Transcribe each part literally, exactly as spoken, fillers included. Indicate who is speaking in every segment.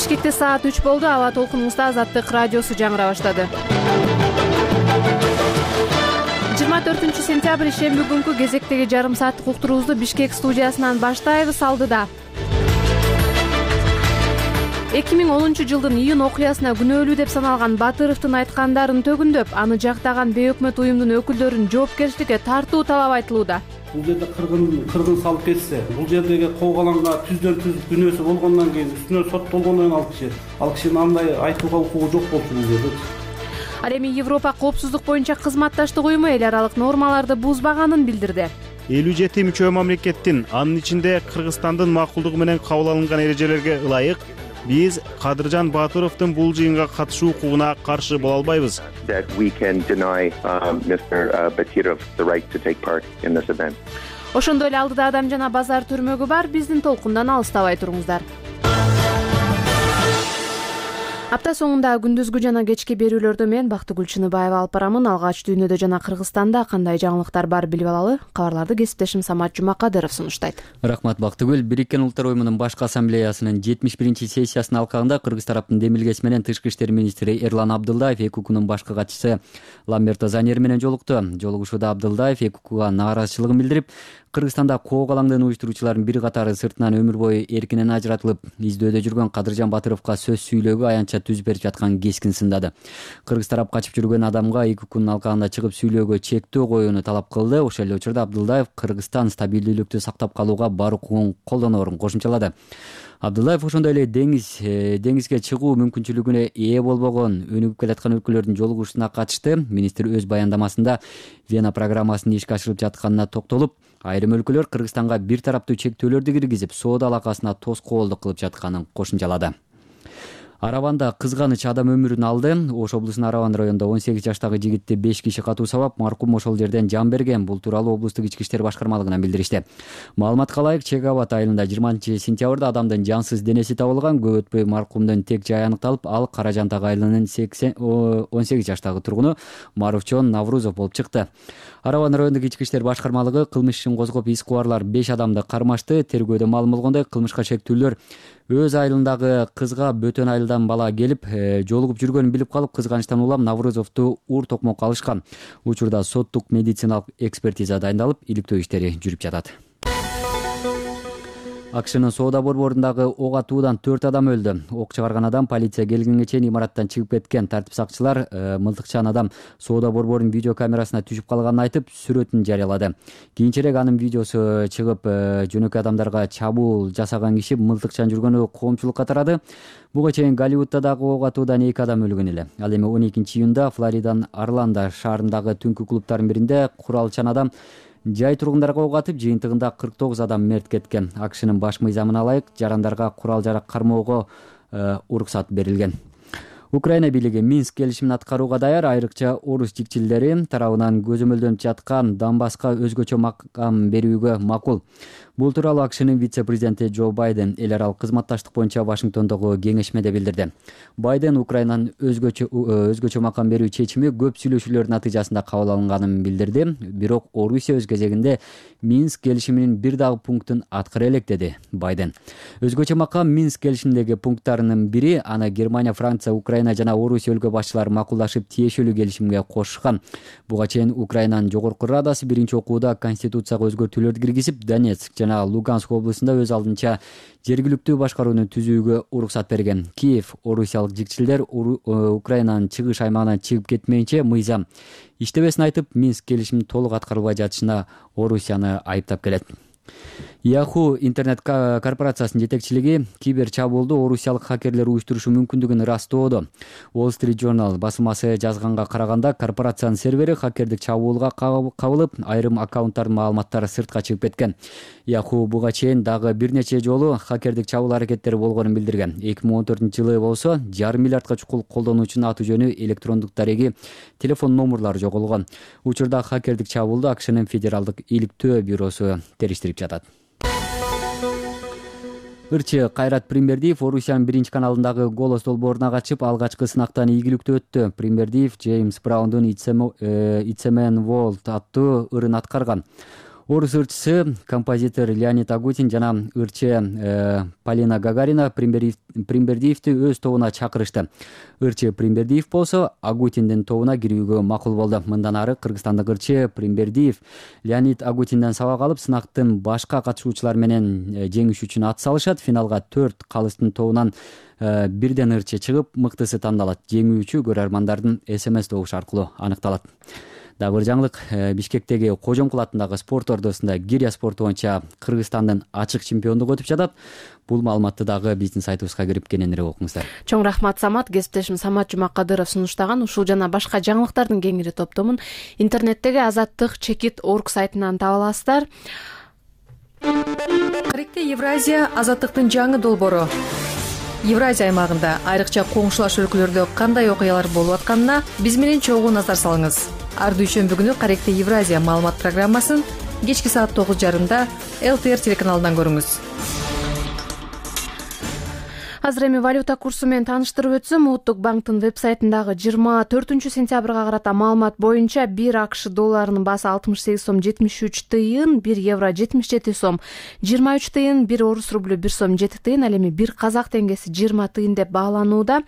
Speaker 1: Бишкекте саат үч болду. Аба толкунуңузда Азаттык радиосу жаңыра баштады. жыйырма төртүнчү сентябрь шемби күнкү кезектеги жарым сааттык уктуруубузду Бишкек студиясынан баштайбыз. Алдыда эки миң онунчу жылдын июнь окуясына күнөөлүү деп саналган Батыровдун айткандарын төгүндөп, аны жактаган бейөкмөт уюмдун өкүлдөрүн жоопкерчиликке тартуу талап айтылууда.
Speaker 2: Бул жерде кыргын кыргын салып кетсе, бул жердеги коогаланга түздөн түз күнөөсү болгондон кийин үстүнө соттолгондон кийин ал киши ал кишинин андай айтууга укугу жок болчу бул жерде.
Speaker 1: Ал эми Европа коопсуздук боюнча кызматташтык уюму эл аралык нормаларды бузбаганын билдирди.
Speaker 3: элүү жети мүчө мамлекеттин, анын ичинде Кыргызстандын макулдугу менен кабыл алынган эрежелерге ылайык биз Кадыржан Батыровдун бул жыйынга катышуу укугуна каршы боло албайбыз.
Speaker 1: Ошондой эле алдыда Адам жана базар түрмөгү бар. Биздин толкундан алыстабай туруңуздар. Апта соңунда күндүзгү жана кечки берүүлөрдө мен Бактыгүл Чыныбаева алып барамын. Алгач дүйнөдө жана Кыргызстанда кандай жаңылыктар бар билип алалы. Кабарларды кесиптешим Самат Жумакадыров сунуштайт.
Speaker 4: Рахмат Бактыгүл. Бириккен Улуттар уюмунун башкы ассамблеясынын жетимиш биринчи сессиясынын алкагында Кыргыз тараптын демилгеси менен Тышкы иштер министри Эрлан Абдылдаев ЭКУКнун башкы катчысы Ламберто Заньер менен жолукту. Жолугушууда Абдылдаев ЭКУКга нааразычылыгын билдирип, Кыргызстанда коогалаңдын уюштуруучулардын бир катары сыртынан өмүр бою эркинен ажыратылып, издөөдө жүргөн Кадыржан Батыровго сөз сүйлөөгө аянтча түз берип жаткан кескин сындады. Кыргыз тарап качып жүргөн адамга ЭКУКнун алкагында чыгып сүйлөөгө чектөө коюуну талап кылды. Ошол эле учурда Абдылдаев Кыргызстан стабилдүүлүктү сактап калууга бар укугун колдоноорун кошумчалады. Абдылдаев ошондой эле деңиз деңизге чыгуу мүмкүнчүлүгүнө ээ болбогон өнүгүп келаткан өлкөлөрдүн жолугушуусуна катышты. Министр өз баяндамасында Вена программасынын ишке ашырылып жатканына токтолуп, айрым өлкөлөр Кыргызстанга бир тараптуу чектөөлөрдү киргизип, соода алакасына тоскоолдук кылып жатканын кошумчалады. Араванда кызганыч адам өмүрүн алды. Ош облусунун Араван районунда он сегиз жаштагы жигитти беш киши катуу сабап, маркум ошол жерден жан берген. Бул тууралуу облустук ички иштер башкармалыгынан билдиришти. Маалыматка ылайык, Чек Абад айылында жыйырманчы сентябрда адамдын жансыз денеси табылган. Көп өтпөй маркумдун тек жайы аныкталып, ал Кара Жантак айылынын он сегиз жаштагы тургуну Маруфчон Наврузов болуп чыкты. Араван райондук ички иштер башкармалыгы кылмыш ишин козгоп, ис кубарлар беш адамды кармашты. Тергөөдө маалым болгондой, кылмышка шектүүлөр өз айылындагы кызга бөтөн айылдан бала келип, жолугуп жүргөнүн билип калып, кызганычтан улам Наврузовду ур токмокко алышкан. Учурда соттук медициналык экспертиза дайындалып, иликтөө иштери жүрүп жатат. АКШнын соода борборундагы ок атуудан төрт адам өлдү. Ок чыгарган адам полиция келгенге чейин имараттан чыгып кеткен. Тартип сакчылар мылтыкчан адам соода борборунун видео камерасына түшүп калганын айтып, сүрөтүн жарыялады. Кийинчерээк анын видеосу чыгып, жөнөкөй адамдарга чабуул жасаган киши мылтыкчан жүргөнү коомчулукка тарады. Буга чейин Голливудда дагы ок атуудан эки адам өлгөн эле. Ал эми он экинчи июнда Флориданын Орландо шаарындагы түнкү клубтардын биринде куралчан адам жай тургундарга ок атып, жыйынтыгында кырк тогуз адам мерт кеткен. АКШнын баш мыйзамына ылайык жарандарга курал-жарак кармоого уруксат берилген. Украина бийлиги Минск келишимин аткарууга даяр. Айрыкча орус жикчилдери тарабынан көзөмөлдөнүп жаткан Донбасска өзгөчө макам берүүгө макул. Бул тууралуу АКШнын вице-президенти Джо Байден эл аралык кызматташтык боюнча Вашингтондогу кеңешмеде билдирди. Байден Украинанын өзгөчө өзгөчө макам берүү чечими көп сүйлөшүүлөр натыйжасында кабыл алынганын билдирди. Бирок Орусия өз кезегинде Минск келишиминин бир дагы пунктун аткара элек, деди Байден. Өзгөчө макам Минск келишиминдеги пункттарынын бири, аны Германия, Франция, Украина жана Орусия өлкө башчылары макулдашып тиешелүү келишимге кошушкан. Буга чейин Украинанын жогорку радасы биринчи окууда конституцияга өзгөртүүлөрдү киргизип, Донецк жана Луганск облусунда өз алдынча жергиликтүү башкарууну түзүүгө уруксат берген. Киев орусиялык жикчилдер Украинанын чыгыш аймагынан чыгып кетмейинче мыйзам иштебесин айтып, Минск келишимин толук аткарылбай жатышына Орусияны айыптап келет. Yahoo интернет корпорациясынын жетекчилиги кибер чабуулду орусиялык хакерлер уюштурушу мүмкүндүгүн ырастоодо. Wall Street Journal басылмасы жазганга караганда, корпорациянын сервери хакердик чабуулга кабылып, айрым аккаунттардын маалыматтары сыртка чыгып кеткен. Yahoo буга чейин дагы бир нече жолу хакердик чабуул аракеттери болгонун билдирген. эки миң он төртүнчү жылы болсо, жарым миллиардка чукул колдонуучунун аты жөнү, электрондук дареги, телефон номурлары жоголгон. Учурда хакердик чабуулду АКШнын федералдык иликтөө бюросу териштирип жатат. Ырчы Кайрат Примбердиев Орусиянын биринчи каналындагы голос долбооруна катышып, алгачкы сынактан ийгиликтүү өттү. Примбердиев Джеймс Браундун It's a Man World аттуу ырын аткарган. Орус ырчысы, композитор Леонид Агутин жана ырчы Полина Гагарина Примбердиевди өз тобуна чакырышты. Ырчы Примбердиев болсо Агутиндин тобуна кирүүгө макул болду. Мындан ары кыргызстандык ырчы Примбердиев Леонид Агутинден сабак алып, сынактын башка катышуучулар менен жеңиш үчүн ат салышат. Финалга төрт калыстын тобунан бирден ырчы чыгып, мыктысы тандалат. Жеңүүчү көрөрмандардын эс эм эс добушу аркылуу аныкталат. Дагы бир жаңылык, Бишкектеги Кожомкул атындагы спорт ордосунда гиря спорту боюнча Кыргызстандын ачык чемпиондугу өтүп жатат. Бул маалыматты дагы биздин сайтыбызга кирип кененирээк окуңуздар.
Speaker 1: Чоң рахмат Самат. Кесиптешим Самат Жумакадыров сунуштаган ушул жана башка жаңылыктардын кеңири топтомун интернеттеги азаттык чекит точка орг сайтынан таба аласыздар.
Speaker 5: Каректе Евразия азаттыктын жаңы долбоору. Евразия аймагында айрыкча коңшулаш өлкөлөрдө кандай окуялар болуп атканына биз менен чогуу назар салыңыз. Ар дүйшөмбү күнү Каректе Евразия маалымат программасын кечки саат тогуз жарымда эл тэ эр телеканалынан көрүңүз.
Speaker 1: Азыр эми валюта курсу менен тааныштырып өтсөм, Улуттук банктын веб-сайтындагы жыйырма төртүнчү сентябрга карата маалымат боюнча бир акш долларынын баасы алтымыш сегиз сом жетимиш үч тыйын, бир евро жетимиш жети сом жыйырма үч тыйын, бир орус рублю бир сом жети тыйын, ал эми бир казак теңгеси жыйырма тыйын деп бааланууда.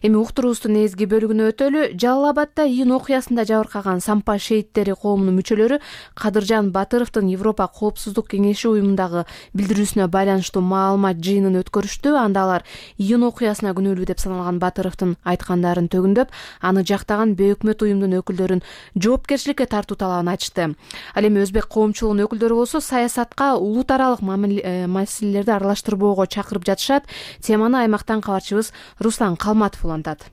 Speaker 1: Эми уктуруубуздун негизги бөлүгүнө өтөлү. Жалал Абадда июнь окуясында жабыркаган Сампа шейиттери коомунун мүчөлөрү Кадыржан Батыровдун Европа коопсуздук кеңеши уюмундагы билдирүүсүнө байланыштуу маалымат жыйынын өткөрүштү. Анда алар июнь окуясына күнөөлүү деп саналган Батыровдун айткандарын төгүндөп, аны жактаган бейөкмөт уюмдун өкүлдөрүн жоопкерчиликке тартуу талабын айтышты. Ал эми өзбек коомчулугунун өкүлдөрү болсо саясатка улут аралык маселелерди аралаштырбоого чакырып жатышат. Теманы аймактан кабарчыбыз Руслан Калматов улантат.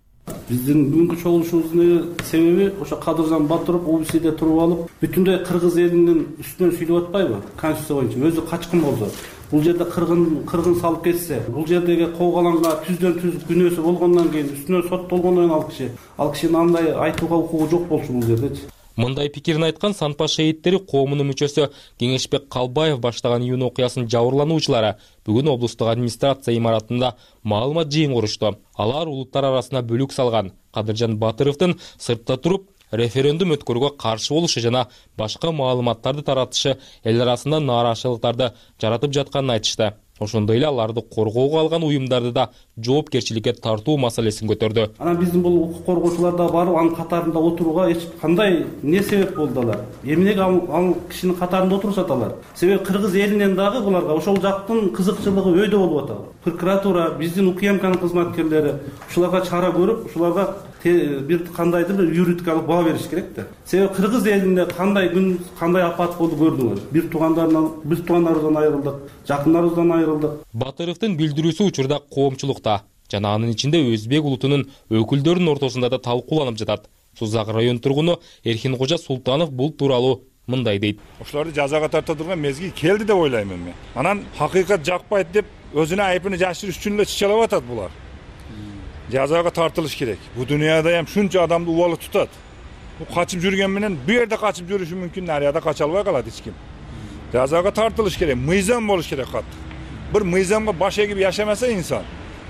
Speaker 2: Биздин бүгүнкү чогулушубуздун себеби ошо Кадыржан Батыров ОБСде туруп алып, бүтүндөй кыргыз элинин үстүнөн сүйлөп атпайбы? Конституция боюнча өзү качкын болсо, бул жерде кыргын кыргын салып кетсе, бул жердеги куугаланга түздөн түз күнөөсү болгондон кийин үстүнөн соттолгондон кийин ал киши ал кишинин андай айтууга укугу жок болчу бул жердечи.
Speaker 6: Мындай пикирин айткан Санпа шейиттери коомунун мүчөсү Кеңешбек Калбаев баштаган июнь окуясынын жабырлануучулары бүгүн облустук администрация имаратында маалымат жыйын курушту. Алар улуттар арасына бөлүк салган Кадыржан Батыровдун сыртта туруп референдум өткөрүүгө каршы болушу жана башка маалыматтарды таратышы эл арасында нааразычылыктарды жаратып жатканын айтышты. Ошондой эле аларды коргоого алган уюмдарды да жоопкерчиликке тартуу маселесин көтөрдү.
Speaker 2: Анан биздин бул укук коргоочулар да барып анын катарында отурууга эч кандай эмне себеп болду алар? Эмнеге ал кишинин катарында отурушат алар? Себеби кыргыз элинен дагы буларга ошол жактын кызыкчылыгы өйдө болуп атат. Прокуратура, биздин УКМКнын кызматкерлери ушуларга чара көрүп, ушуларга бир кандайдыр бир юридикалык баа бериш керек да. Себеби кыргыз элинде кандай күн, кандай апат болду көрдүңүз. Бир туугандарынан, биз туугандарыбыздан айрылдык, жакындарыбыздан айрылдык.
Speaker 6: Батыровдун билдирүүсү учурда коомчулукта жана анын ичинде өзбек улутунун өкүлдөрүнүн ортосунда да талкууланып жатат. Сузак район тургуну Эрхинкожа Султанов бул тууралуу мындай дейт.
Speaker 7: Ошолорду жазага тарта турган мезгил келди деп ойлоймун мен. Анан хакыйкат жакпайт деп өзүнүн айыпын жашырыш үчүн эле чычалап атат булар. Жазага тартылыш керек. Бу дүйнөдө ham шунча адамды убалып тутат. Бу качып жүргөн менен бу жерде качып жүрүшү мүмкүн, нарияда кача албай калат эч ким. Жазага тартылыш керек, мыйзам болуш керек кат. Бир мыйзамга баш эгип жашамаса инсан,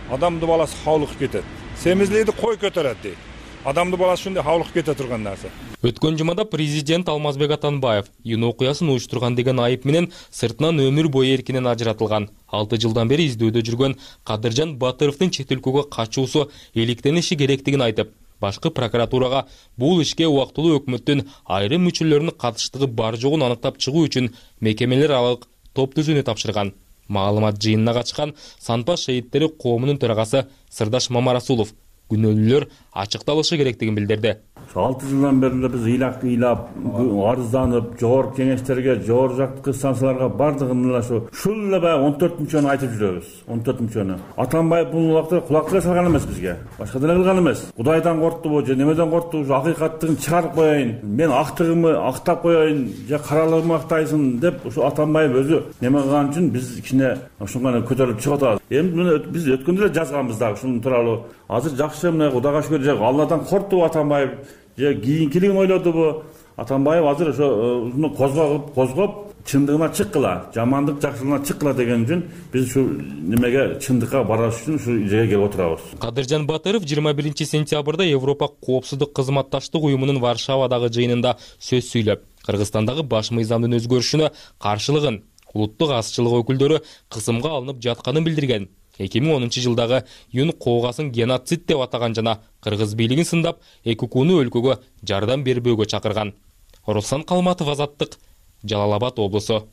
Speaker 7: адамды баласы хавлык кетет. Семизлейди кой көтөрөт дейт. Адамды баласы ушундай хавлык кете турган нерсе.
Speaker 6: Өткөн жумада президент Алмазбек Атанбаев июнь окуясын уюштурган деген айып менен сыртынан өмүр бою эркинен ажыратылган. алты жылдан бери издөөдө жүргөн Кадыржан Батыровдун чет өлкөгө качуусу иликтениши керектигин айтып, башкы прокуратурага бул ишке убактылуу өкмөттүн айрым мүчөлөрүнүн катыштыгы бар жогун аныктап чыгуу үчүн мекемелер аралык топ түзүүнү тапшырган. Маалымат жыйынына катышкан Санпа шейиттери коомунун төрагасы Сырдаш Мамарасулов күнөөлүүлөр ачыкталышы керектигин билдирди.
Speaker 8: алты жылдан бери биз ыйлап ыйлап, арызданып, жогорку кеңештерге, жогору жактыкы станцияларга бардыгын эле ошо ушул эле баягы он төрт мүчөнү айтып жүрөбүз. он төрт мүчөнү. Атанбаев бул убакта кулак тыга салган эмес бизге. Башка деле кылган эмес. Кудайдан корктубу же немеден корктубу, ушу акыйкаттыгын чыгарып коеюн, мен актыгымы актап коеюн, же каралыгымы актайсың деп ушу Атанбаев өзү неме кылган үчүн биз кичине ошондо көтөрүлүп чыгып атабыз. Эми биз өткөндө эле жазганбыз дагы ушунун тууралуу. Азыр жакшы мына Кудайга шүгүр, же Алладан корктубу Атанбаев, же кийинкилигин ойлодубу? Атанбаев азыр ошо ушуну козгоп, козгоп чындыгына чыккыла, жамандык жакшылыгына чыккыла деген үчүн биз ушу немеге чындыкка бараш үчүн ушу жерге келип отурабыз.
Speaker 6: Кадыржан Батыров жыйырма биринчи сентябрда Европа коопсуздук кызматташтык уюмунун Варшавадагы жыйынында сөз сүйлөп, Кыргызстандагы баш мыйзамдын өзгөрүшүнө каршылыгын улуттук азчылык өкүлдөрү кысымга алынып жатканын билдирген. эки миң онунчу жылдагы Юн коогасын геноцид деп атаган жана кыргыз бийлигин сындап, ЭККУну өлкөгө жардам бербөөгө чакырган. Руслан Калматов, Азаттык, Жалал Абад облусу.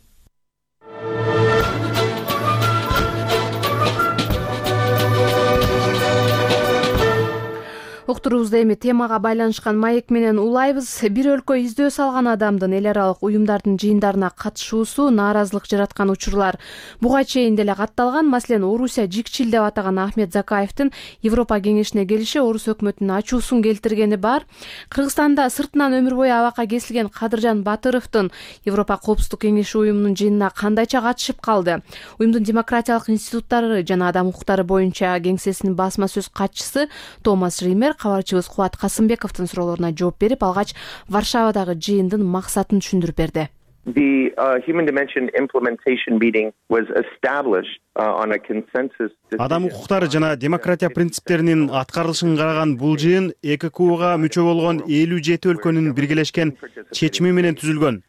Speaker 1: Уктуруубузда эми темага байланышкан маек менен улайбыз. Бир өлкө издөө салган адамдын эл аралык уюмдардын жыйындарына катышуусу нааразылык жараткан учурлар буга чейин деле катталган. Маселен, Орусия жикчил деп атаган Ахмет Закаевдин Европа кеңешине келиши Орус өкмөтүнүн ачуусун келтиргени бар. Кыргызстанда сыртынан өмүр бою абакка кесилген Кадыржан Батыровдун Европа коопсуздук кеңеши уюмунун жыйынына кандайча катышып калды? Уюмдун демократиялык институттары жана адам укуктары боюнча кеңсесинин басма сөз катчысы Томас Ример кабарчыбыз Кубат Касымбековдун суроолоруна жооп берип, алгач Варшавадагы жыйындын максатын түшүндүрүп берди.
Speaker 9: The uh, Human Dimension Implementation Meeting was established uh, on a consensus.
Speaker 3: Адам укуктары жана демократия принциптеринин аткарылышын караган бул жыйын ЭККУга мүчө болгон элүү жети өлкөнүн биргелешкен чечими менен түзүлгөн.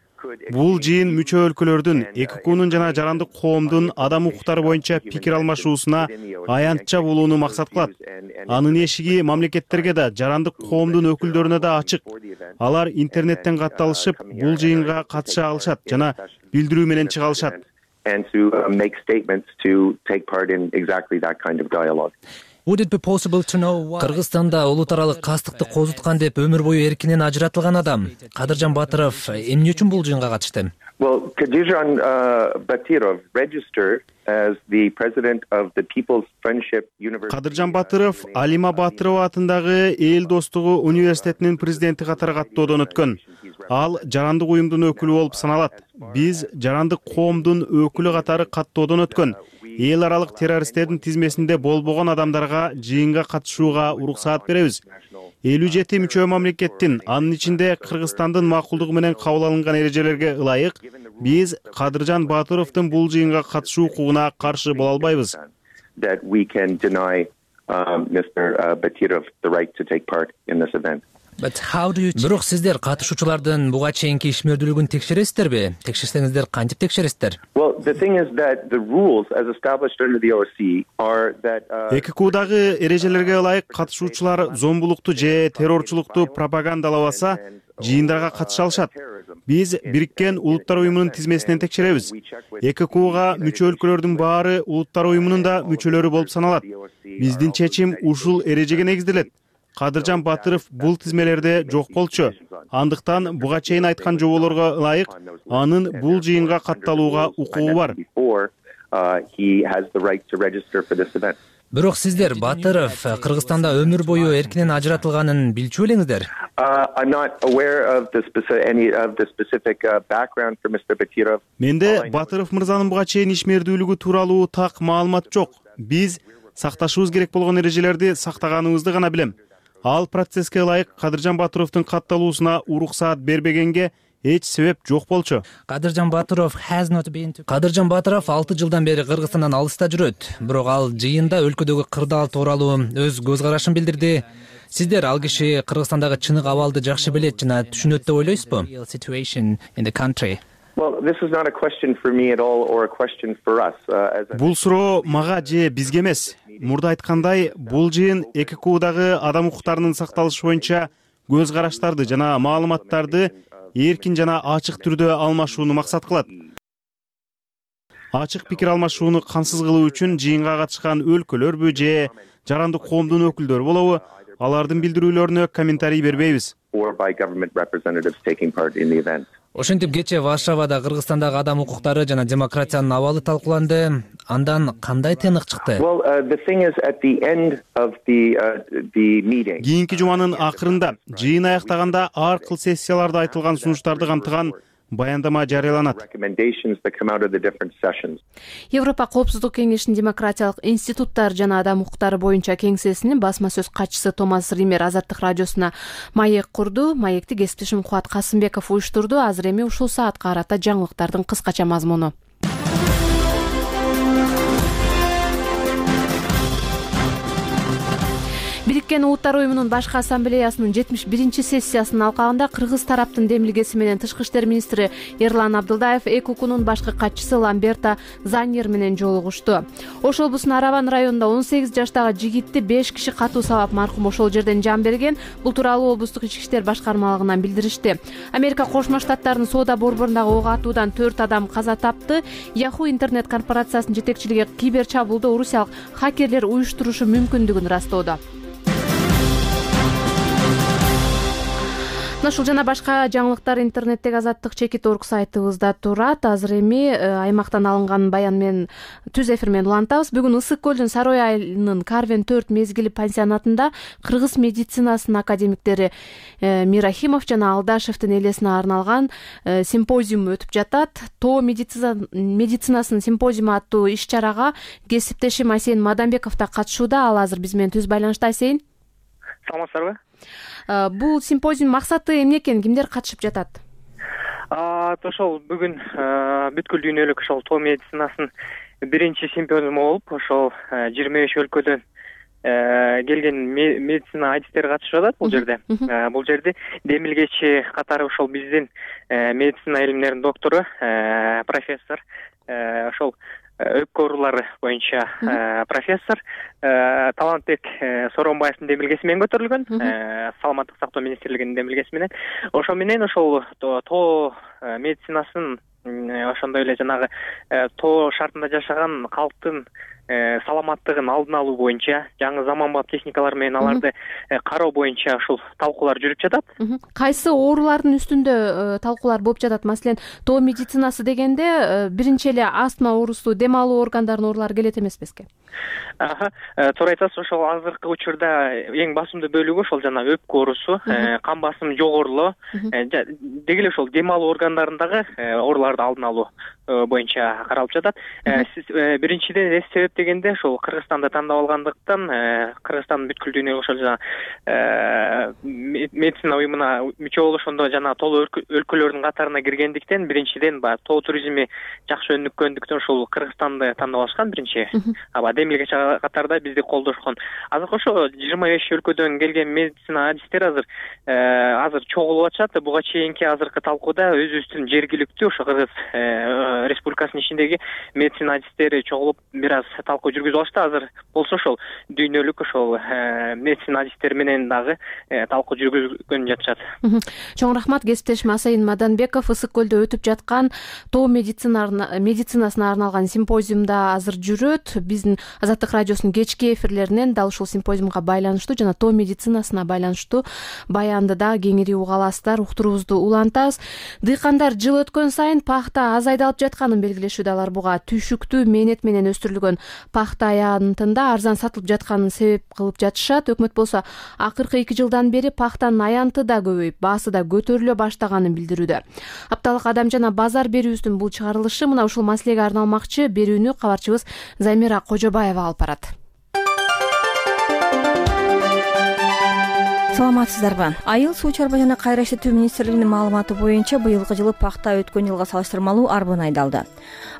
Speaker 3: Бул жыйын мүчө өлкөлөрдүн ЭККУнун жана жарандык коомдун адам укуктары боюнча пикир алмашуусуна аянтча болууну максат кылат. Анын эшиги мамлекеттерге да, жарандык коомдун өкүлдөрүнө да ачык. Алар интернеттен катталышып, бул жыйынга катыша алышат жана билдирүү менен чыга алышат.
Speaker 10: Кыргызстанда улут аралык кастыкты козуткан деп өмүр бою эркинен ажыратылган адам Кадыржан Батыров эмне үчүн бул жыйынга катышты?
Speaker 9: Well, Kadirjan uh, Batyrov registered as the president of the People's Friendship University.
Speaker 3: Кадыржан Батыров Алима Батырова атындагы Эл достугу университетинин президенти катары каттоодон өткөн. Ал жарандык уюмдун өкүлү болуп саналат. Биз жарандык коомдун өкүлү катары каттоодон өткөн. Эл аралык террористтердин тизмесинде болбогон адамдарга жыйынга катышууга уруксаат беребиз. элүү жети мүчө мамлекеттин, анын ичинде Кыргызстандын макулдугу менен кабыл алынган эрежелерге ылайык, биз Кадыржан Батыровдун бул жыйынга катышуу укугуна каршы боло албайбыз.
Speaker 9: That we can deny um, Mister Batyrov the right to take part in this event.
Speaker 10: Бирок сиздер катышуучулардын буга чейинки ишмердүүлүгүн текшересиздерби? Текшерсеңиздер кантип текшересиздер?
Speaker 9: Well, the thing is that the rules as established under the O S C E are that
Speaker 3: ЭККУдагы эрежелерге ылайык катышуучулар зомбулукту же террорчулукту пропагандалабаса, жыйындарга катыша алышат. Биз Бириккен Улуттар уюмунун тизмесинен текшеребиз. ЭККУга мүчө өлкөлөрдүн баары Улуттар уюмунун да мүчөлөрү болуп саналат. Биздин чечим ушул эрежеге негизделет. Кадыржан Батыров бул тизмелерде жок болчу. Андыктан буга чейин айткан жоболорго ылайык, анын бул жыйынга катталууга укугу бар.
Speaker 10: Бирок сиздер Батыров Кыргызстанда өмүр бою эркинен ажыратылганын билчү белеңиздер?
Speaker 3: Менде Батыров мырзанын буга чейин ишмердүүлүгү тууралуу так маалымат жок. Биз сакташыбыз керек болгон эрежелерди сактаганыбызды гана билем. Ал процесске ылайык Кадыржан Батыровдун катталуусуна уруксаат бербегенге эч себеп жок болчу.
Speaker 10: Кадыржан Батыров Кадыржан Батыров алты жылдан бери Кыргызстандан алыста жүрөт. Бирок ал жыйында өлкөдөгү кырдаал тууралуу өз көз карашын билдирди. Сиздер ал киши Кыргызстандагы чыныгы абалды жакшы билет жана түшүнөт деп ойлойсузбу?
Speaker 3: Бул суроо мага же бизге эмес. Мурда айткандай, бул жыйын ЭККУдагы адам укуктарынын сакталышы боюнча көз караштарды жана маалыматтарды эркин жана ачык түрдө алмашууну максат кылат. Ачык пикир алмашууну кансыз кылуу үчүн жыйынга катышкан өлкөлөрбү же жарандык коомдун өкүлдөрү болобу, алардын билдирүүлөрүнө комментарий бербейбиз.
Speaker 10: Ошентип кечээ Варшавада Кыргызстандагы адам укуктары жана демократиянын абалы талкууланды. Андан кандай тыйнык чыкты?
Speaker 3: Кийинки жуманын акырында, жыйын аяктаганда ар кыл сессияларда айтылган сунуштарды камтыган баяндама жарыяланат.
Speaker 1: Европа коопсуздук кеңешинин демократиялык институттар жана адам укуктары боюнча кеңсесинин басма сөз катчысы Томас Ример Азаттык радиосуна маек курду. Маекти кесиптешим Кубат Касымбеков уюштурду. Азыр эми ушул саатка карата жаңылыктардын кыскача мазмуну. Бириккен Улуттар уюмунун башкы ассамблеясынын жетимиш биринчи сессиясынын алкагында кыргыз тараптын демилгеси менен тышкы иштер министри Эрлан Абдылдаев ЭКУКнун башкы катчысы Ламберта Заньер менен жолугушту. Ош облусунун Араван районунда он сегиз жаштагы жигитти беш киши катуу сабап маркум ошол жерден жан берген. Бул тууралуу облустук ички иштер башкармалыгынан билдиришти. Америка Кошмо Штаттарынын соода борборундагы ок атуудан төрт адам каза тапты. Yahoo интернет корпорациясынын жетекчилиги кибер чабуулду орусиялык хакерлер уюштурушу мүмкүндүгүн растоодо. Ушул жана башка жаңылыктар интернеттеги Азаттык чекит точка орг сайтыбызда турат. Азыр эми аймактан алынган баян менен түз эфир менен улантабыз. Бүгүн Ысык көлдүн Сарой айылынын Карвен төрт мезгили пансионатында кыргыз медицинасынын академиктери Мирахимов жана Алдашевдин элесине арналган симпозиум өтүп жатат. Тоо медицинасынын симпозиуму аттуу иш-чарага кесиптешим Асейин Мадамбеков да катышууда. Ал азыр биз менен түз байланышта. Асейин,
Speaker 11: саламатсыздарбы?
Speaker 1: Бул симпозиум максаты эмне экен, кимдер катышып жатат?
Speaker 11: Ошол бүгүн бүткүл дүйнөлүк ошол тоо медицинасынын биринчи симпозиуму болуп, ошол жыйырма беш өлкөдөн келген медицина адистери катышып жатат бул жерде. Бул жерде демилгечи катары ошол биздин медицина илимдеринин доктору, профессор, ошол өпкө оорулары боюнча профессор Талантбек Соронбаевдин демилгеси менен көтөрүлгөн, саламаттык сактоо министрлигинин демилгеси менен. Ошо менен ошол тоо медицинасынын ошондой эле жанагы тоо шартында жашаган калктын саламаттыгын алдын алуу боюнча жаңы заманбап техникалар менен аларды кароо боюнча ушул талкуулар жүрүп жатат.
Speaker 1: Кайсы оорулардын үстүндө талкуулар болуп жатат? Маселен, тоо медицинасы дегенде биринчи эле астма оорусу, дем алуу органдарынын оорулары келет эмеспизби?
Speaker 11: Туура айтасыз. Ошол азыркы учурда эң басымдуу бөлүгү ошол жана өпкө оорусу, кан басымы жогорулоо, деги эле ошол дем алуу органдарындагы ооруларды алдын алуу боюнча каралып жатат. Биринчиден эмне себеп дегенде ошол Кыргызстанды тандап алгандыктан, Кыргызстан бүткүл дүйнөгө ошол жана медицина уюмуна мүчө болушондо жана толуу өлкөлөрдүн катарына киргендиктен, биринчиден баягы тоо туризми жакшы өнүккөндүктөн ошол Кыргызстанды тандап алышкан биринчи. Аба демилгечи катарда бизди колдошкон. Азыр ошо жыйырма беш өлкөдөн келген медицина адистери азыр азыр чогулуп атышат. Буга чейинки азыркы талкууда өзүбүздүн жергиликтүү ошо Кыргыз Республикасынын ичиндеги медицина адистери чогулуп бир аз талкуу жүргүзүп алышты. Азыр болсо ошол дүйнөлүк ошол медицина адистери менен дагы талкуу жүргүзгөн жатышат.
Speaker 1: Чоң рахмат. Кесиптешим Асейин Мадамбеков Ысык көлдө өтүп жаткан тоо медицинасына арналган симпозиумда азыр жүрөт. Биздин Азаттык радиосунун кечки эфирлеринен дал ушул симпозиумга байланыштуу жана тоо медицинасына байланыштуу баянды да кеңири уга аласыздар. Уктуруубузду улантабыз. Дыйкандар жыл өткөн сайын пахта аз айдалып жатканын белгилешүүдө. Алар буга түйшүктүү мээнет менен өстүрүлгөн пахта аянтында арзан сатылып жатканын себеп кылып жатышат. Өкмөт болсо акыркы эки жылдан бери пахтанын аянты да көбөйүп, баасы да көтөрүлө баштаганын билдирүүдө. Апталык адам жана базар берүүбүздүн бул чыгарылышы мына ушул маселеге арналмакчы. Берүүнү кабарчыбыз Замира Кожобаева алып барат.
Speaker 12: Саламатсыздарбы? Айыл суу чарба жана кайра иштетүү министрлигинин маалыматы боюнча быйылкы жылы пахта өткөн жылга салыштырмалуу арбын айдалды.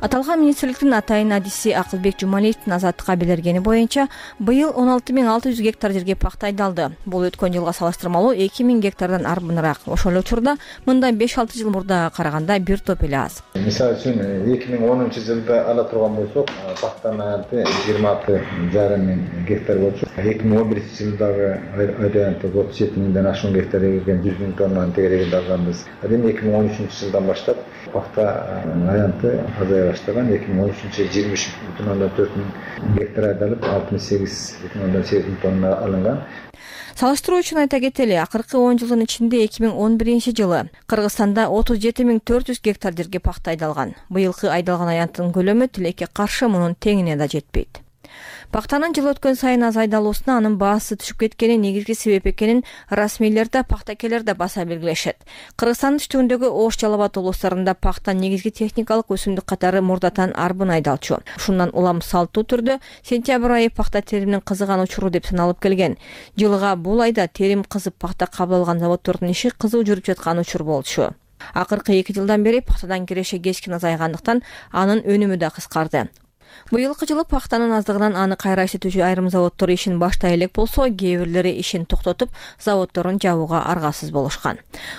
Speaker 12: Аталган министрликтин атайын адиси Акылбек Жумалиевдин Азаттыкка билдиргени боюнча быйыл он алты миң алты жүз гектар жерге пахта айдалды. Бул өткөн жылга салыштырмалуу эки миң гектардан арбыныраак. Ошол эле учурда мындан беш алты жыл мурдага караганда бир топ эле аз.
Speaker 13: Мисалы үчүн эки миң онунчу жылда ала турган болсок, пахтанын аянты жыйырма алты жарым миң гектар болчу. эки миң он биринчи жылдагы аянты отуз жети миңден ашуун гектар эгилген жүз миң тоннаны тегерегинде алганбыз. Эми эки миң он үчүнчү жылдан баштап пахта аянты азая баштаган. эки миң он үчүнчү жылы жыйырма үч бүтүн ондон төрт миң гектар айдалып, алтымыш сегиз бүтүн ондон сегиз миң тонна алынган.
Speaker 12: Салыштыруу үчүн айта кетели, акыркы он жылдын ичинде эки миң он биринчи жылы Кыргызстанда отуз жети миң төрт жүз гектар жерге пахта айдалган. Быйылкы айдалган аянттын көлөмү тилекке каршы мунун теңине да жетпейт. Пахтанын жыл өткөн сайын аз айдалуусуна анын баасы түшүп кеткени негизги себеп экенин расмийлер да, пахтакерлер да баса белгилешет. Кыргызстандын түштүгүндөгү Ош, Жалал Абад облустарында пахта негизги техникалык өсүмдүк катары мурдатан арбын айдалчу. Ушундан улам салттуу түрдө сентябрь айы пахта териминин кызыган учуру деп саналып келген. Жылга бул айда терим кызып пахта кабыл алган заводдордун иши кызуу жүрүп жаткан учур болчу. Акыркы эки жылдан бери пахтадан киреше кечкин азайгандыктан анын өнүмү да кыскарды. Быйылкы жылы пактанын аздыгынан аны кайра иштетүүчү айрым заводдор ишин баштай элек болсо, кээ бирлери ишин токтотуп, заводдорун жабууга аргасыз болушкан.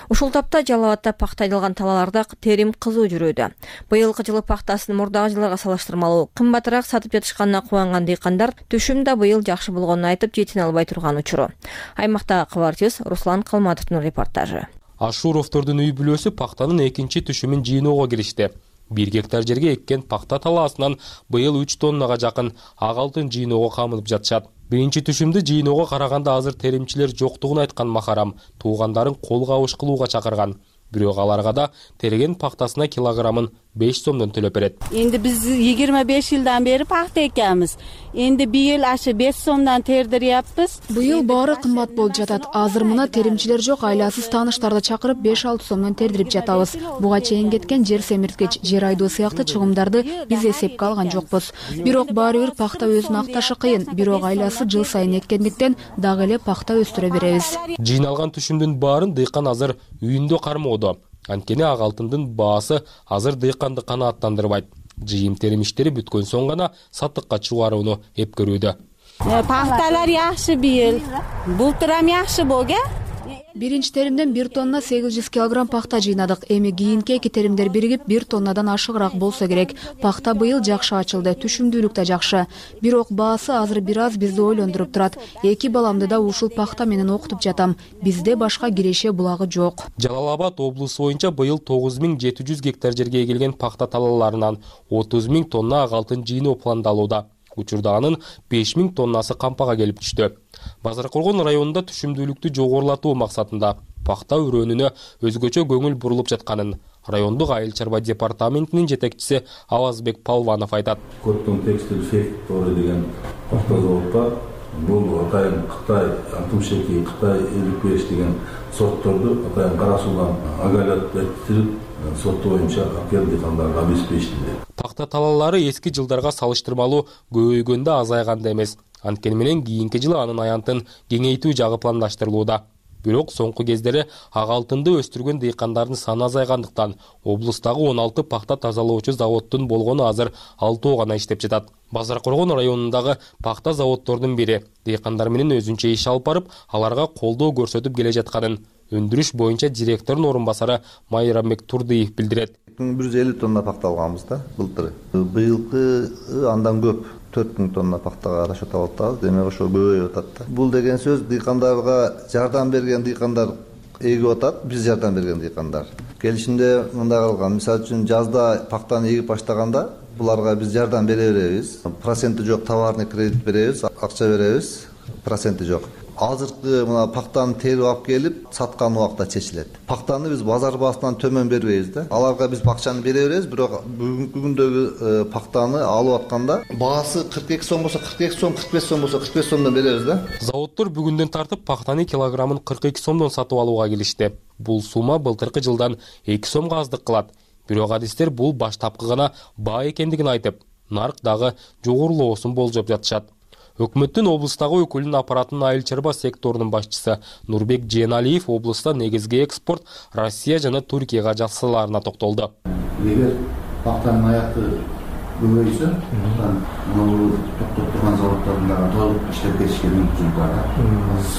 Speaker 12: Ушул тапта Жалал Абадда пакта айдалган талааларда терим кызуу жүрүүдө. Быйылкы жылы пактасын мурдагы жылдарга салыштырмалуу кымбатыраак сатып жатышканына кубанган дыйкандар түшүм да быйыл жакшы болгонун айтып жетине албай турган учуру. Аймактагы кабарчыбыз Руслан Калматовдун репортажы.
Speaker 6: Ашуровдордун үй бүлөсү пактанын экинчи түшүмүн жыйноого киришти. бир гектар жерге эккен пакта талаасынан быйыл үч тоннага жакын ак алтын жыйноого камынып жатышат. Биринчи түшүмдү жыйноого караганда азыр теримчилер жоктугун айткан Махарам туугандарын кол кабыш кылууга чакырган. Бирок аларга да терген пактасына килограммын беш сомдон төлөп берет.
Speaker 14: Энди биз жыйырма беш жылдан бери пакта экенбиз. Энди быйыл ашы беш сомдон тердиряппыз.
Speaker 15: Быйыл баары кымбат болуп жатат. Азыр мына теримчилер жок, айласыз тааныштарды чакырып беш алты сомдон тердирип жатабыз. Буга чейин кеткен жер семирткич, жер айдоо сыяктуу чыгымдарды биз эсепке алган жокпуз. Бирок баары бир пакта өзүн акташы кыйын. Бирок айласы жыл сайын эккендиктен дагы эле пакта өстүрө беребиз.
Speaker 6: Жыйналган түшүмдүн баарын дыйкан азыр үйүндө кармоодо. Анткени ак алтындын баасы азыр дыйканды канааттандырбайт. Жыйым терим иштери бүткөн соң гана сатыкка чыгарууну эпкөрүүдө.
Speaker 14: Пакталар жакшы быйыл. Былтыр ham жакшы болду.
Speaker 15: Биринчи теримден бир тонна сегиз жүз килограмм пакта жыйнадык. Эми кийинки эки теримдер биригип бир тоннадан ашыгыраак болсо керек. Пакта быйыл жакшы ачылды, түшүмдүүлүк да жакшы. Бирок баасы азыр бир аз бизди ойлондуруп турат. Эки баламды да ушул пакта менен окутуп жатам. Бизде башка киреше булагы жок.
Speaker 6: Жалал Абад облусу боюнча быйыл тогуз миң жети жүз гектар жерге эгилген пакта талааларынан отуз миң тонна ак алтын жыйноо пландалууда. Учурда анын беш миң тоннасы кампага келип түштү. Базар Коргон районунда түшүмдүүлүктү жогорулатуу максатында пакта өрөөнүнө өзгөчө көңүл бурулуп жатканын райондук айыл чарба департаментинин жетекчиси Авазбек Палванов айтат.
Speaker 16: Коттон текстиль факторы деген пакта заводта бул атайын Кытай алтымышеки, Кытай элүү беш деген сортторду атайын кара суудан агалат этирип сорту боюнча акел дыйкандарга обеспечили.
Speaker 6: Пакта талаалары эски жылдарга салыштырмалуу көбөйгөндө азайганда эмес. Анткени менен кийинки жылы анын аянтын кеңейтүү жагы пландаштырылууда. Бирок соңку кездери ак алтынды өстүргөн дыйкандардын саны азайгандыктан облустагы он алты пакта тазалоочу заводдун болгону азыр алтоо гана иштеп жатат. Базар Коргон районундагы пакта заводдордун бири дыйкандар менен өзүнчө иш алып барып, аларга колдоо көрсөтүп келе жатканын өндүрүш боюнча директордун орун басары Майрамбек Турдыев билдирет.
Speaker 17: бир жүз элүү тонна пакта алганбыз да былтыр. Быйылкы андан көп төрт миң тонна пактага расчет алып атабыз. Демек ошо көбөйүп атат да. Бул деген сөз дыйкандарга жардам берген дыйкандар эгип атат, биз жардам берген дыйкандар. Келишимде мындай кылган, мисалы үчүн жазда пактаны эгип баштаганда буларга биз жардам бере беребиз. Проценти жок товарный кредит беребиз, акча беребиз, проценти жок. Азыркы мына пактаны терип алып келип саткан убакта чечилет. Пактаны биз базар баасынан төмөн бербейбиз да. Аларга биз акчаны бере беребиз, бирок бүгүнкү күндөгү пактаны алып атканда баасы кырк эки сом болсо кырк эки сом, кырк беш сом болсо кырк беш сомдон беребиз да.
Speaker 6: Заводдор бүгүндөн тартып пактаны килограммын кырк эки сомдон сатып алууга келишти. Бул сума былтыркы жылдан эки сомго аздык кылат. Бирок адистер бул баштапкы гана баа экендигин айтып, нарк дагы жогорулоосун болжоп жатышат. Өкмөттүн облустагы өкүлүнүн аппаратынын айыл чарба секторунун башчысы Нурбек Жeenалиев облуста негизги экспорт Россия жана Туркияга жасаларына токтолду.
Speaker 18: Эгер пактанын аяты көбөйсө, мына токтоп турган заводдордун дагы толук иштеп кетишке мүмкүнчүлүк бар.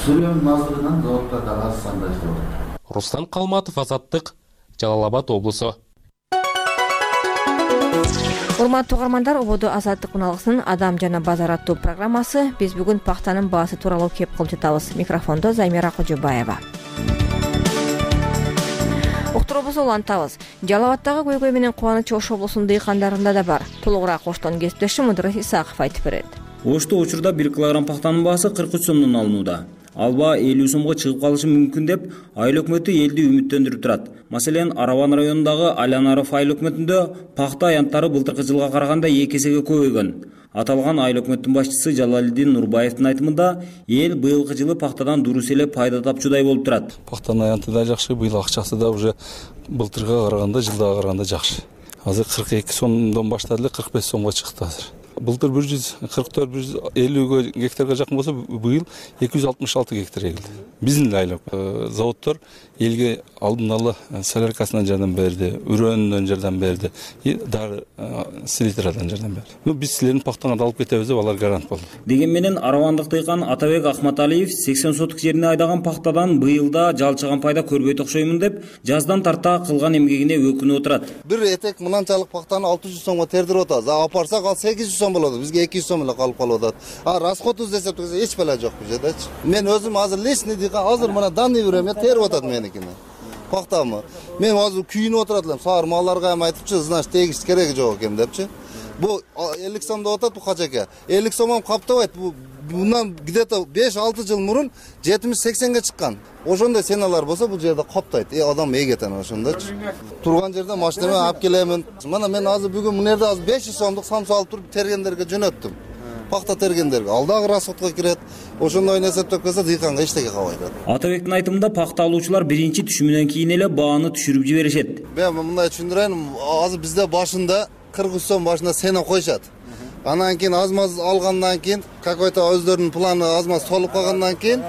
Speaker 18: Сүрөөнүн аздыгынан заводдор дагы аз санда иштеп атат.
Speaker 6: Руслан Калматов, Азаттык, Жалал Абад облусу.
Speaker 12: Урматтуу угармандар, ободо Азаттык уналгысынын Адам жана базар аттуу программасы. Биз бүгүн пактанын баасы тууралуу кеп кылып жатабыз. Микрофондо Займира Кожобаева. Уктуруубузду улантабыз. Жалал Абаддагы көйгөй менен кубаныч Ош облусунун дыйкандарында да бар. Толугураак Оштон кесиптешим Мудрат Исаков айтып берет.
Speaker 19: Ошто учурда бир килограмм пактанын баасы кырк үч сомдон алынууда. Ал баа элүү сомго чыгып калышы мүмкүн деп айыл өкмөтү элди үмүттөндүрүп турат. Маселен, Арабан районундагы Алянаров айыл өкмөтүндө пакта аянттары былтыркы жылга караганда эки эсеге көбөйгөн. Аталган айыл өкмөттүн башчысы Жалалидин Нурбаевдин айтымында, эл быйылкы жылы пактадан дурус эле пайда тапчудай болуп турат.
Speaker 20: Пактанын аянты да жакшы, быйыл акчасы да уже былтырга караганда, жылдага караганда жакшы. Азыр кырк эки сомдон баштады эле, кырк беш сомго чыкты азыр. Былтыр бир жүз кырк төрт бир жүз элүү гектарга жакын болсо, быйыл эки жүз алтымыш алты гектар эгилди. Биздин айлык заводдор элге алдын ала соляркасынан жардам берди, үрөндөн жардам берди, дары селитрадан жардам берди. Ну биз силердин пахтаңарды алып кетебиз деп алар гарант болду.
Speaker 19: Деген менен аравандык дыйкан Атабек Акматалиев сексен соток жерине айдаган пахтадан быйылда жалчыган пайда көрбөйт окшоймун деп жаздан тарта кылган эмгегине өкүнүп отурат.
Speaker 17: Бир этек мынанчалык пахтаны алты жүз сомго тердирип атабыз. Апарсак ал сегиз жүз сом болот. Бизге эки жүз сом эле калып калып атат. А расходубузду эсептесек эч бала жок бул жердечи. Мен өзүм азыр личный дыйкан, азыр мына данный время терип атат меникини. Пахтамы. Мен азыр күйүнүп отурат элем. Саар малларга эми айтыпчы, значит тегиш кереги жок экен депчи. Бу элүү сом деп атат бу качака. элүү сомом каптабайт. Бу bundan где-то беш алты жыл мурун жетимиш сексенге чыккан. Ошондой сеналар болсо бул жерде каптайт. Э адам эгетен ошондочу. Турган жерде машинеме алып келемин. Мына мен азыр бүгүн мына жерде азыр беш жүз сомдук самса алып туруп тергендерге жөнөттүм. Пахта тергендерге. Алдагы расходко кирет. Ошондой эсептеп келсе дыйканга эчтеке калбайт.
Speaker 19: Атабектин айтымында пахта алуучулар биринчи түшүмүнөн кийин эле бааны түшүрүп жиберишет.
Speaker 17: Мен мындай түшүндүрөйүн, азыр бизде башында кырк үч сом башына сена койшат. Анан кийин азмаз алгандан кийин какой-то өздөрүнүн планы азмаз толуп калгандан кийин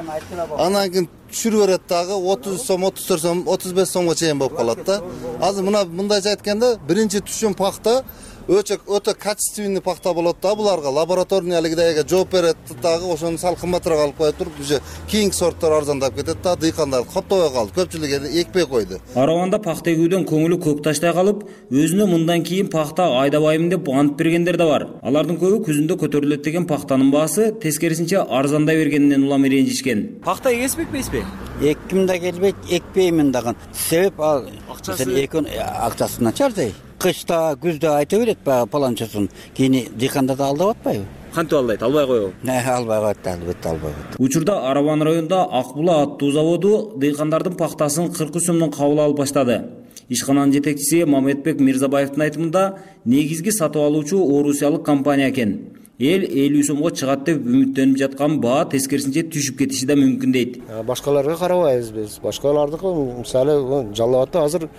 Speaker 17: анан кийин түшүрүп берет дагы отуз сом, отуз төрт сом, отуз беш сомго чейин болуп калат да. Азыр мына мындайча айтканда биринчи түшүм пахта өтө өтө качественный пахта болот да, буларга лабораторный алигидеге жооп берет дагы, ошону сал кымбатыраак алып коюп туруп уже кийинки сорттор арзандап кетет да, дыйкандар каптабай калды, көпчүлүк экпей койду.
Speaker 19: Араванда пахта эгүүдөн көңүлү көк таштай калып, өзүнө мындан кийин пахта айдабайм деп ант бергендер да бар. Алардын көбү күзүндө көтөрүлөт деген пахтанын баасы тескерисинче арзандай бергенинен улам ренжишкен.
Speaker 21: Пахта эгеспекпейсизби? Экким да келбейт, экпеймин дагы. Себеп ал экон акчасы начардай. Кышта, күздө айта берет паланчасын, кийин дыйкандар да алдап атпайбы? Кантип алдайт? Албай коебу?
Speaker 17: Албай коет, албетте албай коет.
Speaker 19: Учурда Араван районунда Ак Була аттуу заводу дыйкандардын пахтасын кырк үч сомдон кабыл алып баштады. Ишкананын жетекчиси Мамедбек Мирзабаевдин айтымында негизги сатып алуучу Орусиялык компания экен. Эл элүү сомго чыгат деп үмүттөнүп жаткан баа тескерисинче түшүп кетиши да мүмкүн дейт.
Speaker 22: Башкаларга карабайбыз биз. Башкалардыкы мисалы жалап атты азыр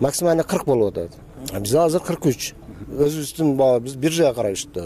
Speaker 22: максимально кырк болуп атат. Бизде азыр кырк үч. Өзүбүздүн баа биз биржага карайбыз да.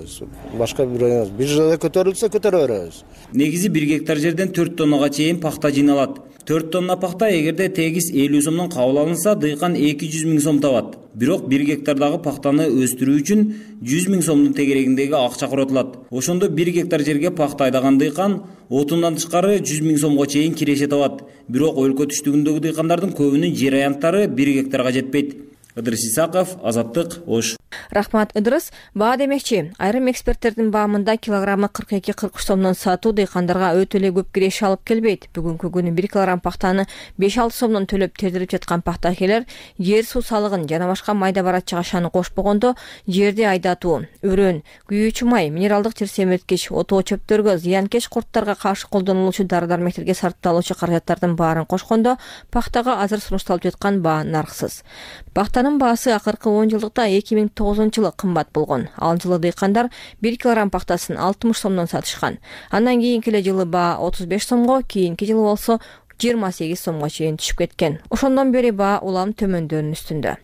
Speaker 22: Башка бир эмес. Биржада көтөрүлсө көтөрө беребиз.
Speaker 19: Негизи бир гектар жерден төрт тоннага чейин пахта жыйналат. төрт тонна пахта эгерде тегиз элүү сомдон кабыл алынса, дыйкан эки жүз миң сом табат. Бирок бир гектардагы пахтаны өстүрүү үчүн жүз миң сомдун тегерегиндеги акча коротулат. Ошондо бир гектар жерге пахта айдаган дыйкан отундан тышкары жүз миң сомго чейин киреше табат. Бирок өлкө түштүгүндөгү дыйкандардын көбүнүн жер аянттары бир гектарга жетпейт. Ыдырыс Исаков, Азаттык, Ош.
Speaker 12: Рахмат, Ыдырыс. Баа демекчи, айрым эксперттердин баамында килограммы кырк эки кырк үч сомдон сатуу дыйкандарга өтө эле көп киреше алып келбейт. Бүгүнкү күнү бир килограмм пахтаны беш алты сомдон төлөп тердирип жаткан пахтакелер жер суу салыгын жана башка майда барат жагашаны кошпогондо жерди айдатуу, өрөн, күйүүчү май, минералдык жер семирткич, отоо чөптөргө, зыянкеч курттарга каршы колдонулуучу дары-дармектерге сарпталуучу каражаттардын баарын кошкондо пахтага азыр сунушталып жаткан баа нарксыз. Пахтанын баасы акыркы он жылдыкта эки миң тогузунчу жылы кымбат болгон. Ал жылы дыйкандар бир килограмм пахтасын алтымыш сомдон сатышкан. Андан кийинки эле жылы баа отуз беш сомго, кийинки жылы болсо жыйырма сегиз сомго чейин түшүп кеткен. Ошондон бери баа улам төмөндөөнүн үстүндө.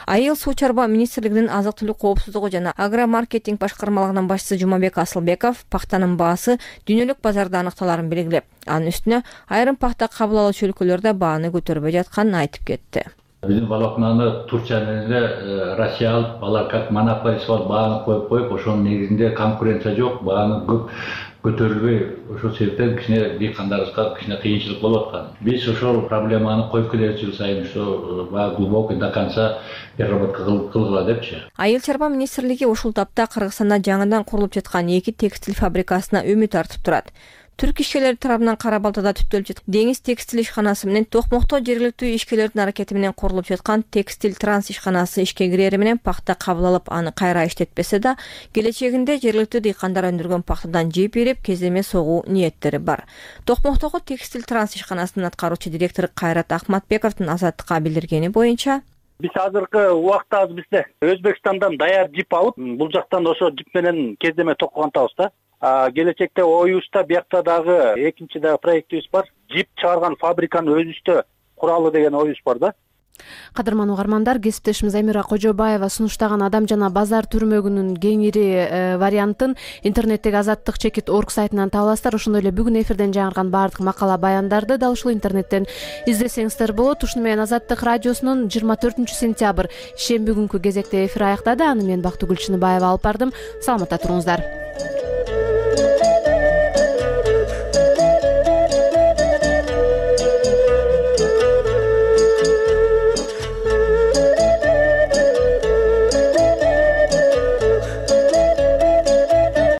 Speaker 12: Айыл суу чарба министрлигинин азык-түлүк коопсуздугу жана агромаркетинг башкармалыгынын башчысы Жумабек Асылбеков пахтанын баасы дүйнөлүк базарда аныкталарын белгилеп, анын үстүнө айрым пахта кабыл алуучу өлкөлөрдө бааны көтөрбөй жатканын айтып кетти.
Speaker 23: Bizim волокнаны Турчияны Россия алып, алар как монополист болуп бааны коюп коюп, ошонун негизинде конкуренция жок, бааны көп көтөрүлбөй, ошол себептен кичине дыйкандарыбызга кичине кыйынчылык болуп аткан. Биз ошол проблеманы коюп келебиз жыл сайын, что баа глубокий до конца переработка кылгыла депчи.
Speaker 12: Айыл чарба министрлиги ушул тапта Кыргызстанда жаңыдан курулуп жаткан эки текстиль фабрикасына үмүт артып турат. Түрк ишкерлери тарабынан Кара Балтада түптөлүп жаткан Деңиз текстиль ишканасы менен Токмокто жергиликтүү ишкерлердин аракети менен курулуп жаткан Текстиль Транс ишканасы ишке кирери менен пахта кабыл алып, аны кайра иштетпесе да, келечегинде жергиликтүү дыйкандар өндүргөн пахтадан жеп ирип, кеземе согуу ниеттери бар. Токмоктогу Текстиль Транс ишканасынын аткаруучу директору Кайрат Ахматбековдун Азаттыкка билдиргени боюнча,
Speaker 24: биз азыркы убакта бизде Өзбекстандан даяр жип алып, бул жактан ошо жип менен кеземе токкантабыз да. Келечекте оюбузда биякта дагы экинчи дагы проектибиз бар. Жип чыгарган фабриканы өзүбүздө куралы деген оюбуз бар да.
Speaker 1: Кадырман угармандар, кесиптешimiz Амира Кожобаева сунуштаган Адам жана базар түрмөгүнүн кеңири вариантын интернеттеги азаттык чекит точка орг сайтынан таба аласыздар. Ошондой эле бүгүн эфирден жаңырган баардык макала баяндарды дал ушул интернеттен издесеңиздер болот. Ушуну менен Азаттык радиосунун жыйырма төртүнчү сентябрь шемби күнкү кезекте эфир аяктады. Аны мен Бактыгүл Чыныбаева алып бардым. Саламатта туруңуздар.